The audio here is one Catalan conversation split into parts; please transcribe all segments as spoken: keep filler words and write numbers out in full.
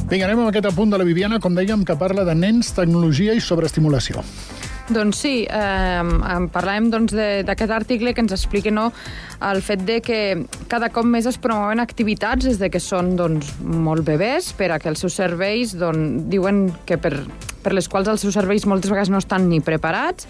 Vinga, anem amb aquest apunt de la Viviana, com dèiem, que parla de nens, tecnologia i sobreestimulació. Doncs sí, eh, parlàvem doncs, d'aquest article que ens explica no, el fet de que cada cop més es promouen activitats des de que són doncs, molt bebès, per a que els seus cervells doncs, diuen que per, per les quals els seus cervells moltes vegades no estan ni preparats.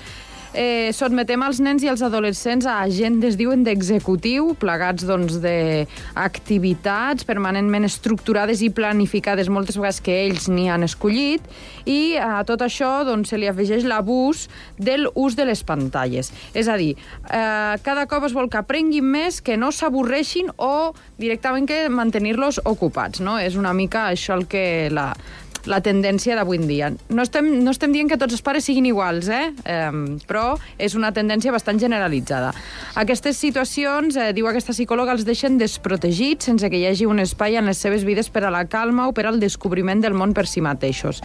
Eh, sotmetem els nens i els adolescents a agendes, diuen, d'executiu, plegats doncs, d'activitats permanentment estructurades i planificades, moltes vegades que ells n'hi han escollit, i a tot això doncs, se li afegeix l'abús de l'ús de les pantalles. És a dir, eh, cada cop es vol que aprenguin més, que no s'avorreixin o directament que mantenir-los ocupats. No? És una mica això el que la... la tendència d'avui en dia. No estem, no estem dient que tots els pares siguin iguals, eh? Eh, però és una tendència bastant generalitzada. Aquestes situacions, eh, diu aquesta psicòloga, els deixen desprotegits sense que hi hagi un espai en les seves vides per a la calma o per al descobriment del món per si mateixos.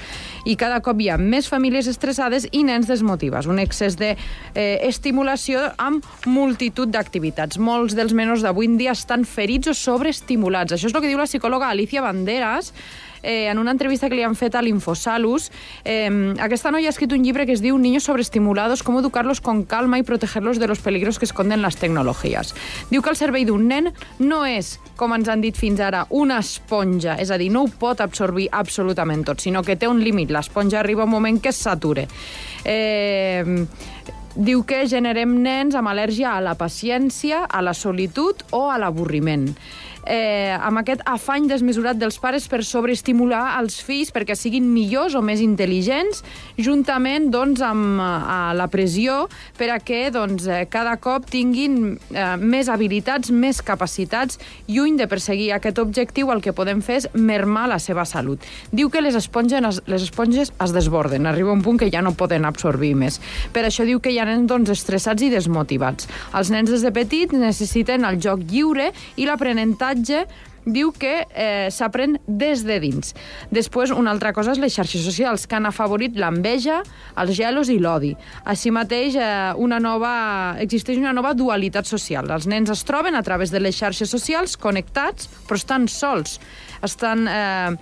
I cada cop hi ha més famílies estressades i nens desmotivats. Un excés d'estimulació eh, amb multitud d'activitats. Molts dels menors d'avui en dia estan ferits o sobreestimulats. Això és el que diu la psicòloga Alicia Banderas, Eh, en una entrevista que li han fet a l'Infosalus. Eh, aquesta noia ha escrit un llibre que es diu Niños sobreestimulados, cómo educarlos con calma y protegerlos de los peligros que esconden las tecnologías. Diu que el cervell d'un nen no és, com ens han dit fins ara, una esponja, és a dir, no ho pot absorbir absolutament tot, sinó que té un límit. L'esponja arriba un moment que es satura. Eh... Diu que generem nens amb al·lèrgia a la paciència, a la solitud o a l'avorriment. Eh, amb aquest afany desmesurat dels pares per sobreestimular els fills perquè siguin millors o més intel·ligents, juntament doncs, amb a la pressió per a que doncs, cada cop tinguin eh, més habilitats, més capacitats. Lluny de perseguir aquest objectiu, el que podem fer és mermar la seva salut. Diu que les esponges, les esponges es desborden, arriba un punt que ja no poden absorbir més. Per això diu que hi ha nens doncs, estressats i desmotivats. Els nens des de petits necessiten el joc lliure i l'aprenentatge diu que eh, s'aprèn des de dins. Després, una altra cosa és les xarxes socials, que han afavorit l'enveja, els gelos i l'odi. Així mateix, eh, una nova, existeix una nova dualitat social. Els nens es troben a través de les xarxes socials connectats, però estan sols. Estan, eh,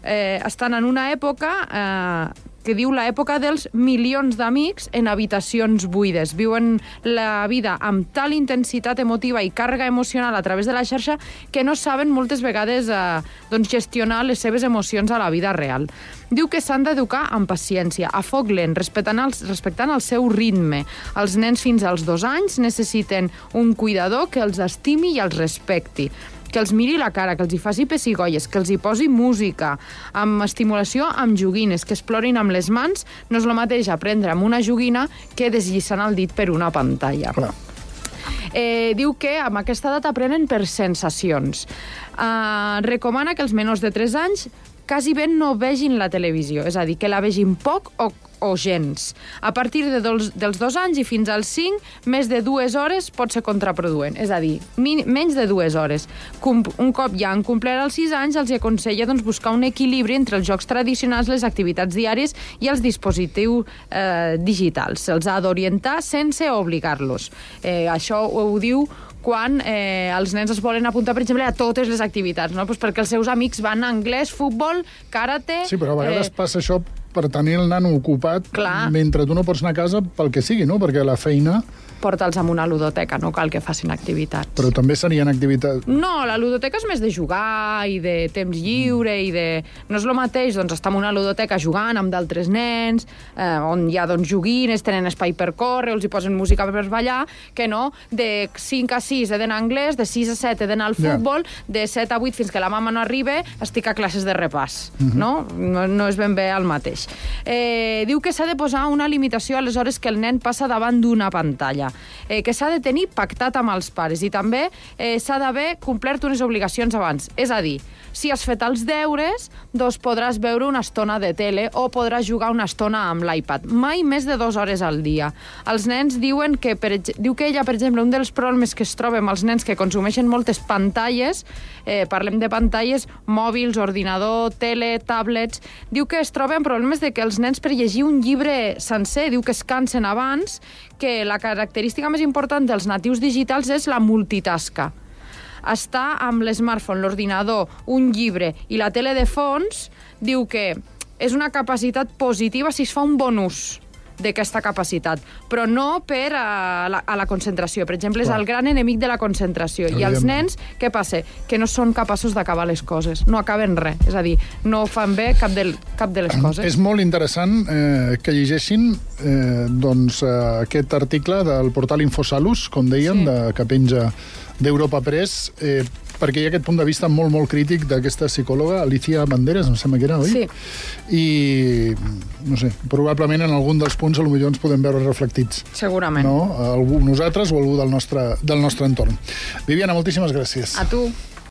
eh, estan en una època... Eh, que diu l'època dels milions d'amics en habitacions buides. Viuen la vida amb tal intensitat emotiva i càrrega emocional a través de la xarxa que no saben moltes vegades eh, doncs gestionar les seves emocions a la vida real. Diu que s'han d'educar amb paciència, a foc lent, respectant el, respectant el seu ritme. Els nens fins als dos anys necessiten un cuidador que els estimi i els respecti, que els miri la cara, que els hi faci pessigolles, que els hi posi música, amb estimulació amb joguines, que explorin amb les mans. No és el mateix aprendre amb una joguina que deslliçant el dit per una pantalla. Clar. Eh, diu que amb aquesta edat aprenen per sensacions. Eh, recomana que els menors de tres anys quasi ben no vegin la televisió, és a dir, que la vegin poc o o gens. A partir de dos, dels dos anys i fins als cinc, més de dues hores pot ser contraproduent. És a dir, min, menys de dues hores. Com, un cop ja han complert els sis anys, els aconsella doncs, buscar un equilibri entre els jocs tradicionals, les activitats diàries i els dispositius eh, digitals. Se'ls ha d'orientar sense obligar-los. Eh, això ho, ho diu quan eh, els nens es volen apuntar, per exemple, a totes les activitats, no? Pues perquè els seus amics van a anglès, futbol, karate... Sí, però a vegades eh... passa això per tenir el nano ocupat. Clar. Mentre tu no pots anar a casa pel que sigui, no? Perquè la feina... Porta'ls a una ludoteca, no cal que facin activitats. Però també serien activitats... No, la ludoteca és més de jugar i de temps lliure i de... No és el mateix, doncs, estar en una ludoteca jugant amb d'altres nens, eh, on hi ha, doncs, joguines, tenen espai per córrer, els hi posen música per ballar, que no, de cinc a sis he d'anar a anglès, de sis a set he d'anar al futbol, yeah. de set a vuit fins que la mama no arriba estic a classes de repàs, uh-huh. no? no? No és ben bé el mateix. Eh, diu que s'ha de posar una limitació a les hores que el nen passa davant d'una pantalla. Eh, que s'ha de tenir pactat amb els pares i també eh, s'ha d'haver complert unes obligacions abans. És a dir, si has fet els deures, doncs podràs veure una estona de tele o podràs jugar una estona amb l'iPad. Mai més de dues hores al dia. Els nens diuen que, per, diu que ella, per exemple, un dels problemes que es troba amb els nens que consumeixen moltes pantalles, eh, parlem de pantalles mòbils, ordinador, tele, tablets, diu que es troben problemes de que els nens per llegir un llibre sencer, diu que es cansen abans, que la característica més important dels natius digitals és la multitasca. Estar amb l'smartphone, l'ordinador, un llibre i la tele de fons diu que és una capacitat positiva si es fa un bon ús d'aquesta capacitat, però no per a la, a la concentració. Per exemple, és el gran enemic de la concentració. I els nens, què passa? Que no són capaços d'acabar les coses. No acaben res. És a dir, no fan bé cap de, cap de les coses. És molt interessant eh, que llegeixin eh, doncs, eh, aquest article del portal Infosalus, com dèiem, sí. de, que penja d'Europa Press, eh, perquè hi ha aquest punt de vista molt, molt crític d'aquesta psicòloga, Alicia Banderas, em sembla que era, oi? Sí. I, no sé, probablement en algun dels punts potser ens podem veure reflectits. Segurament. No? Algú, nosaltres o algú del nostre, del nostre entorn. Viviana, moltíssimes gràcies. A tu.